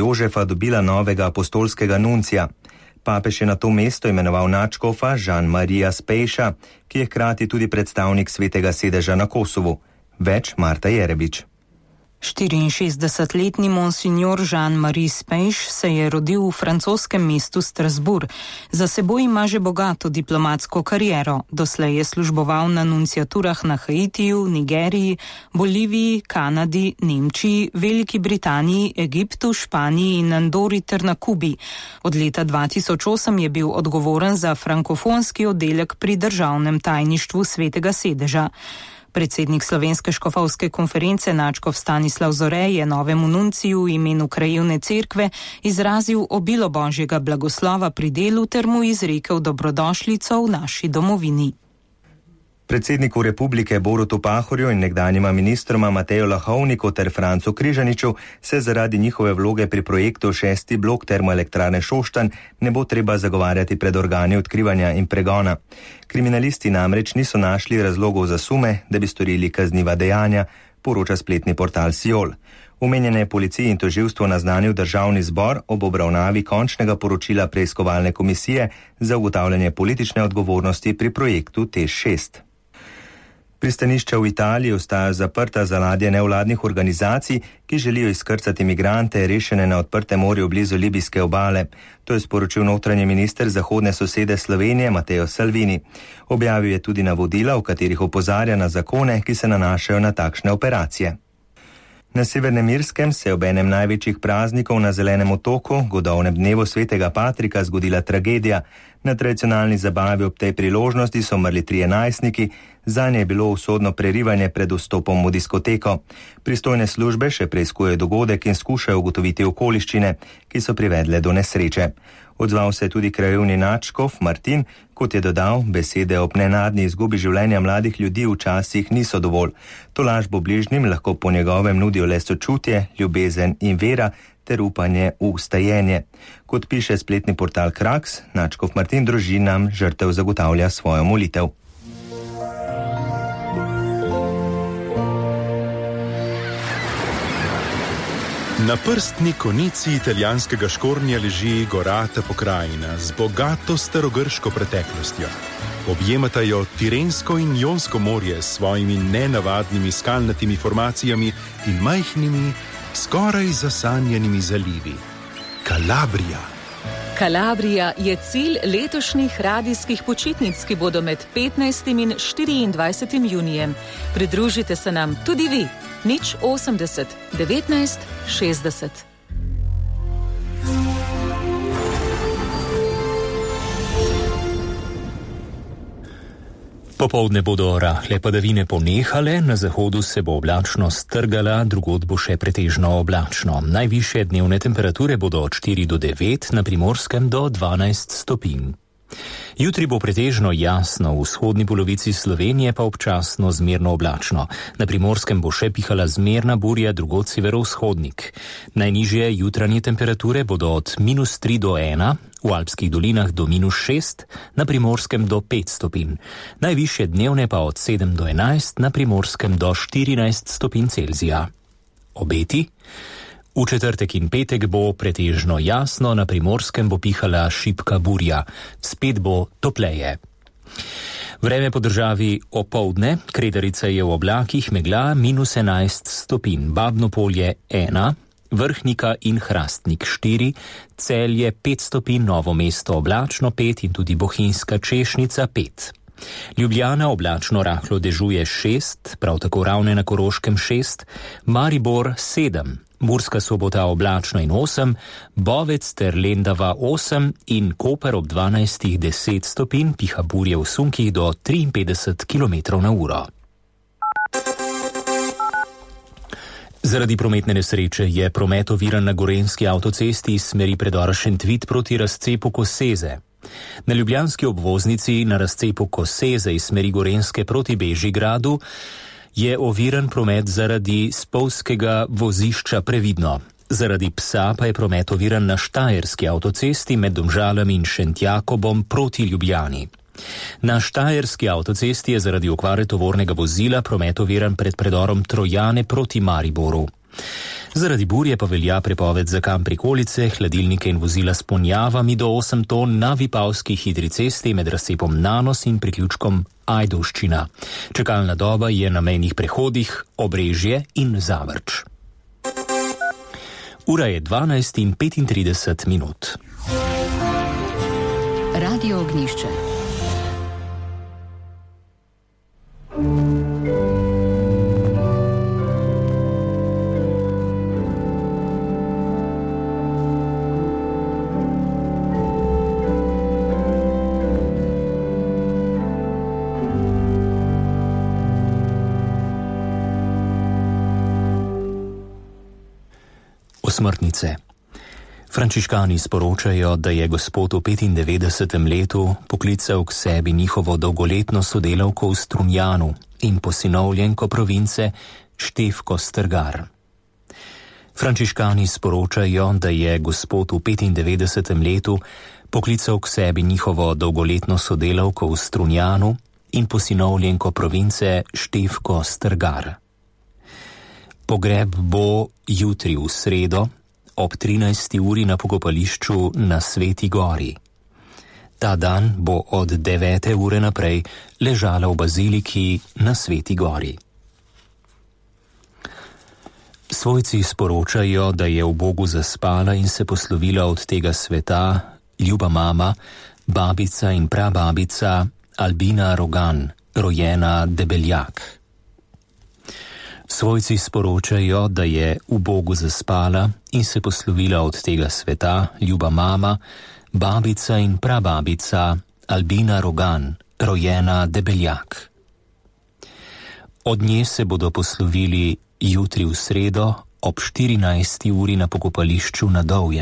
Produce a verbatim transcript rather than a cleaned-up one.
Jožefa dobila novega apostolskega nuncija. Papež je na to mesto imenoval nadškofa Jean-Maria Spejša, ki je hkrati tudi predstavnik svetega sedeža na Kosovu. Več Marta Jerebič. štiriinšestdesetletni monsignor Jean-Marie Spejš se je rodil v francoskem mestu Strasbourg. Za seboj ima že bogato diplomatsko kariero. Doslej je služboval na nunciaturah na Haitiju, Nigeriji, Boliviji, Kanadi, Nemčiji, Veliki Britaniji, Egiptu, Španiji in Andori ter na Kubi. Od leta dva tisoč osem je bil odgovoren za frankofonski oddelek pri državnem tajništvu svetega sedeža. Predsednik Slovenske škofovske konference nadškof Stanislav Zore je novemu nunciju v imenu krajevne cerkve izrazil obilo božjega blagoslova pri delu ter mu izrekel dobrodošlico v naši domovini. Predsedniku republike Borutu Pahorju in nekdanjima ministroma Mateju Lahovniku ter Francu Križaniču se zaradi njihove vloge pri projektu šesti blok termoelektrarne Šoštanj ne bo treba zagovarjati pred organi odkrivanja in pregona. Kriminalisti namreč niso našli razlogov za sume, da bi storili kazniva dejanja, poroča spletni portal Siol. Omenjene policiji in tožilstvo naznanil državni zbor ob obravnavi končnega poročila preiskovalne komisije za ugotavljanje politične odgovornosti pri projektu T E Š šest. Pristanišča v Italiji ostajajo zaprta za ladje nevladnih organizacij, ki želijo izkrcati migrante rešene na odprtem morju blizu libijske obale. To je sporočil notranji minister zahodne sosede Slovenije Matteo Salvini. Objavil je tudi navodila, v katerih opozarja na zakone, ki se nanašajo na takšne operacije. Na Severnem Irskem se je ob enem največjih praznikov na Zelenem otoku, godovnem dnevu svetega Patrika, zgodila tragedija. Na tradicionalni zabavi ob tej priložnosti so umrli trije najstniki, zanje je bilo usodno prerivanje pred vstopom v diskoteko. Pristojne službe še preiskujejo dogodek in skušajo ugotoviti okoliščine, ki so privedle do nesreče. Odzval se je tudi krajevni nadškof Martin, kot je dodal, besede ob nenadni izgubi življenja mladih ljudi včasih niso dovolj. Tolažbo bližnjim lahko po njegovem nudijo le sočutje, ljubezen in vera ter upanje v vstajenje. Kot piše spletni portal Kraks, nadškof Martin družinam žrtev zagotavlja svojo molitev. Na prstni konici italijanskega Škornja leži gorata pokrajina z bogato starogrško preteklostjo. Objemata jo Tirensko in Jonsko morje s svojimi nenavadnimi skalnatimi formacijami in majhnimi, skoraj zasanjenimi zalivi. Kalabrija. Kalabrija je cilj letošnjih radijskih počitnic, ki bodo med petnajstim in štiriindvajsetim junijem. Pridružite se nam tudi vi. Nič osemdeset, devetnajst, šestdeset. Popoldne bodo rahle padavine ponehale, na zahodu se bo oblačnost strgala, drugod bo še pretežno oblačno. Najvišje dnevne temperature bodo od štiri do devet, na Primorskem do dvanajst stopinj. Jutri bo pretežno jasno, v vzhodni polovici Slovenije pa občasno zmerno oblačno. Na Primorskem bo še pihala zmerna burja, drugod severovzhodnik. Najnižje jutranje temperature bodo od minus tri do ena, v Alpskih dolinah do minus šest, na Primorskem do pet stopinj. Najvišje dnevne pa od sedem do enajst, na Primorskem do štirinajst stopinj Celzija. Obeti? V četrtek in petek bo pretežno jasno, na Primorskem bo pihala šibka burja, spet bo topleje. Vreme po državi opoldne, Kredarica je v oblakih, megla minus enajst stopinj, Babno Polje ena, Vrhnika in Hrastnik štiri, Celje pet stopinj, Novo mesto oblačno pet in tudi Bohinjska Češnica pet. Ljubljana oblačno rahlo dežuje šest, prav tako Ravne na Koroškem šest, Maribor sedem, Murska Sobota oblačno in osem, Bovec ter Lendava osem in Koper ob dvanajstih deset stopinj, piha burje v sunkih do triinpetdeset kilometrov na uro. Zaradi prometne nesreče je promet oviran na gorenjski avtocesti iz smeri predora Šentvid proti razcepu Koseze. Na ljubljanski obvoznici na razcepu Koseze iz smeri Gorenjske proti Bežigradu je oviran promet zaradi spolzkega vozišča Previdno. Zaradi psa pa je promet oviran na štajerski avtocesti med Domžalami in Šentjakobom proti Ljubljani. Na štajerski avtocesti je zaradi okvare tovornega vozila promet oviran pred predorom Trojane proti Mariboru. Zaradi burje pa velja prepoved za kamp prikolice, hladilnike in vozila s ponjavami do osem ton na Vipavski hitri cesti med razcepom Nanos in priključkom Ajdovščina. Čakalna doba je na mejnih prehodih Obrežje in Zavrč. Ura je dvanajst in petintrideset minut. Radio Ognjišče. Smrtnice. Frančiškani sporočajo, da je gospod v petindevetdesetem letu poklical k sebi njihovo dolgoletno sodelavko v Strunjanu in posinovljenko province Štefko Strgar. Frančiškani sporočajo, da je gospod v petindevetdesetem letu poklical k sebi njihovo dolgoletno sodelavko v Strunjanu in posinovljenko province Štefko Strgar. Pogreb bo jutri v sredo ob trinajsti uri na pokopališču na Sveti Gori. Ta dan bo od devete ure naprej ležala v baziliki na Sveti Gori. Svojci sporočajo, da je v Bogu zaspala in se poslovila od tega sveta ljuba mama, babica in prababica Albina Rogan, rojena Debeljak. Svojci sporočajo, da je v Bogu zaspala in se poslovila od tega sveta ljuba mama, babica in prababica Albina Rogan, rojena Debeljak. Od nje se bodo poslovili jutri v sredo ob štirinajsti uri na pokopališču na Dovjem.